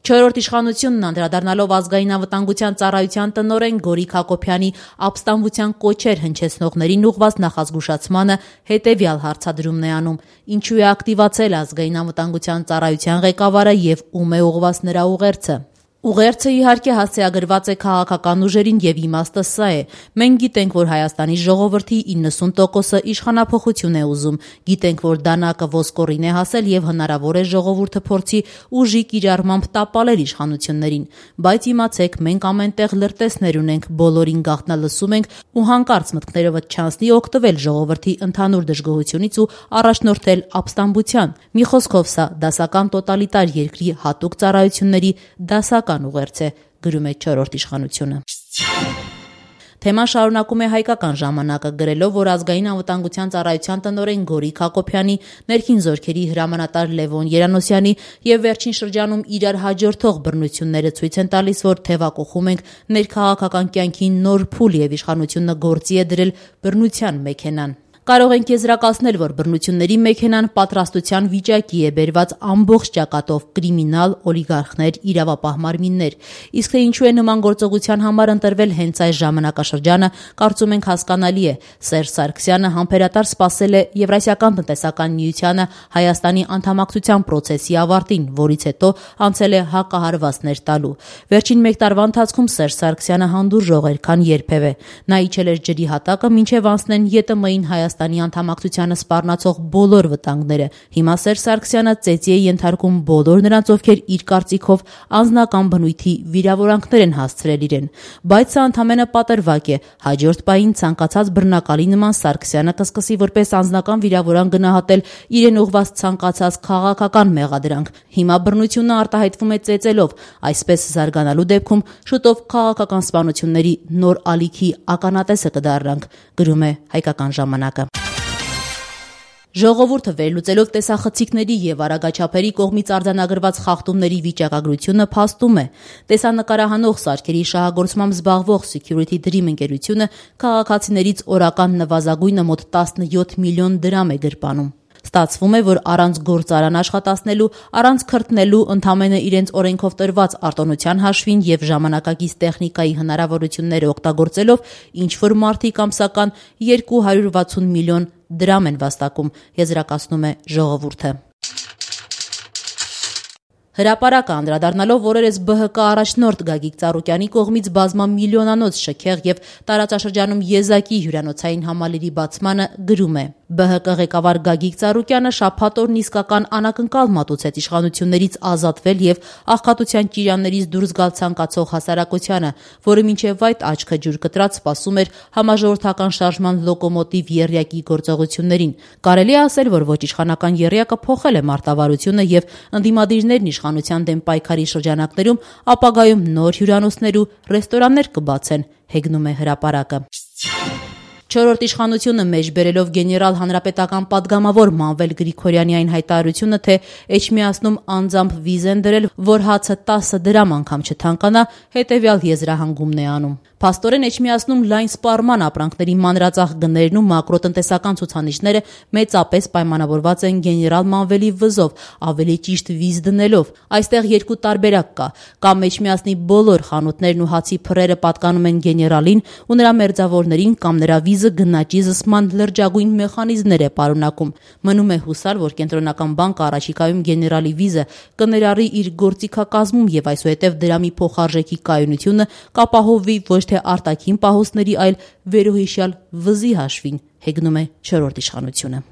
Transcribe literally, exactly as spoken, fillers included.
Չորրորդ իշխանությունն անդրադառնալով ազգային անվտանգության ծառայության տնօրեն Գորիկ Հակոբյանի ապստամբության կոչեր հնչեցնողներին ուղղված նախազգուշացմանը հետևյալ հարցադրումն է անում. ինչու է ակտիվացել ազգային անվտանգության ծառայության ղեկավարը եւ ում է ուղղված նրա ուղերձը։ Ուղերձը իհարկե հասցեագրված է քաղաքական ուժերին եւ իմաստը սա է. մենք գիտենք, որ Հայաստանի ժողովրդի իննսուն տոկոսը իշխանափոխություն է ուզում, գիտենք, որ դանակը ոսկորին է հասել եւ հնարավոր է ժողովուրդը փորձի ուժի կիրառմամբ տապալել իշխանություններին, բայց իմացեք, մենք ամենտեղ լրտեսներ ունենք, բոլորին գաղտնալսում ենք ու հանկարծ մտքներովդ չանցնի օգտվել ժողովրդի ընդհանուր դժգոհությունից ու առաջնորդել ապստամբության։ Մի խոսքով սա դասական տոտալիտար երկրի հատուկ ծառայությունների դասական ուղերձ է, գրում է չորրորդ իշխանությունը։ Թեման շարունակում է Հայկական ժամանակը գրելով, որ ազգային անվտանգության ծառայության տնօրեն Գորիկ Հակոբյանի, ներքին զորքերի հրամանատար Լևոն Երանոսյանի եւ վերջին շրջանում իրար հաջորդող բռնությունները ցույց են տալիս, որ թեվակողում ենք ներքաղաքական կյանքի նոր փուլ եւ իշխանությունը գործի է դրել բռնության մեքենան։ Կարող ենք եզրակացնել, որ բռնությունների մեքենան պատրաստության վիճակի է բերված ամբողջ ճակատով կրիմինալ, օլիգարխներ, իրավապահ մարմիններ։ Իսկ թե ինչու է նման գործողության համար ընտրվել հենց այս ժամանակաշրջանը, կարծում ենք հասկանալի է։ Սերժ Սարգսյանը համբերատար սպասել է Եվրասիական տնտեսական միությանը Հայաստանի անդամակցության պրոցեսի ավարտին, որից հետո անցել է հակահարվածներ տալու։ Վերջին մեկ տարվա ընթացքում Սերժ Սարգսյանը հանդուրժող էր, քան երբևէ։ Նա իջել էր ջրի հատակը, մինչև անցնեն ԵՏՄ-ին Հայաստանի Հայաստանի անդամակցությանը սպառնացող բոլոր վտանգները։ Հիմա Սերժ Սարգսյանը ծեծի է ենթարկում բոլոր նրանց, ովքեր իր կարծիքով անձնական բնույթի վիրավորանքներ են հասցրել իրեն։ Բայց սա ընդամենը պատրվակ է։ Հաջորդ պահին ցանկացած բռնակալի նման Սարգսյանը կսկսի որպես անձնական վիրավորանք գնահատել իրեն ուղղված ցանկացած քաղաքական մեղադրանք։ Հիմա բռնությունը արտահայտվում է ծեծելով, այսպես զարգանալու դեպքում շուտով քաղաքական սպանությունների նոր ալիքի ականատեսը կդառնանք, գրում է Հայկական ժամանակը։ Ժողովուրդը վերլուծելով տեսախցիկների եւ արագաչափերի կողմից արձանագրված խախտումների վիճակագրությունը փաստում է։ Տեսանկարահանող սարքերի շահագործմամբ զբաղվող Security Dream ընկերությունը քաղաքացիներից օրական նվազագույնը մոտ տասնյոթ միլիոն դրամ է գրպանում։ Ստացվում է, որ առանց գործարան աշխատացնելու, առանց քրտնելու, ընդամենը իրենց օրենքով տրված արտոնության հաշվին եւ ժամանակակից տեխնիկայի հնարավորությունները օգտագործելով ինչ-որ մարդիկ ամսական երկու հարյուր վաթսուն միլիոն դրամ են վաստակում, եզրակացնում է ժողովուրդը։ Հրապարակը անդրադառնալով օրերս ԲՀԿ առաջնորդ Գագիկ Ծառուկյանի կողմից բազմամիլիոնանոց շքեղ եւ տարածաշրջանում եզակի հյուրանոցային համալիրի բացմանը գրում է. ԲՀԿ ղեկավար Գագիկ Ծառուկյանը շաբաթ օրն իսկական անակնկալ մատուցեց իշխանություններից ազատվել եւ աղքատության ճիրաններից դուրս գալ ցանկացող հասարակությանը, որը մինչեւ այդ աչքը ջուր կտրած սպասում էր համաժողովրդական շարժման լոկոմոտիվ եռյակի գործողություններին։ Կարելի է ասել, որ ոչ իշխանական եռյակը փոխել է մարտավարությունը եւ ընդդիմադիրներն իշխանության դեմ պայքարի շրջանակներում ապագայում նոր հյուրանոցներ ու ռեստորաններ կբացեն, հեգնում է հրապարակը։ Չորրորդ իշխանությունը մեջ բերելով գեներալ հանրապետական պատգամավոր Մանվել Գրիգորյանի այն հայտարարությունը, թե Էջմիածնում անձամբ վիզ են դրել, որ հացը տասը դրամ անգամ չթանկանա, հետևյալ եզրահանգումն է անում։ Փաստորեն Էջմիածնում լայն սպառման ապրանքների մանրածախ գներն ու մակրոտնտեսական ցուցանիշները մեծապես պայմանավորված են գեներալ Մանվելի վզով, ավելի ճիշտ վիզ դնելով։ Այստեղ երկու տարբերակ կա։ Կամ Էջմիածնի բոլոր խանութներն ու հացի փռերը պատկանում են գեներալին ու նրա մերձավորներին, կամ նրա վիզը գնաճի զսպման լրջագույն մեխանիզմներ է պարունակում։ Մնում է հուսալ, որ կենտրոնական բանկը առաջիկայում գեներալի վիզը կներառի իր գործիքակազմում եւ այսուհետեւ դրամի փոխարժեքի կայունությունը կապահովվի ոչ թե արտաքին պահոստների, այլ վերոհիշյալ վզի հաշվին, հեգնում է չորրորդ իշխանությունը։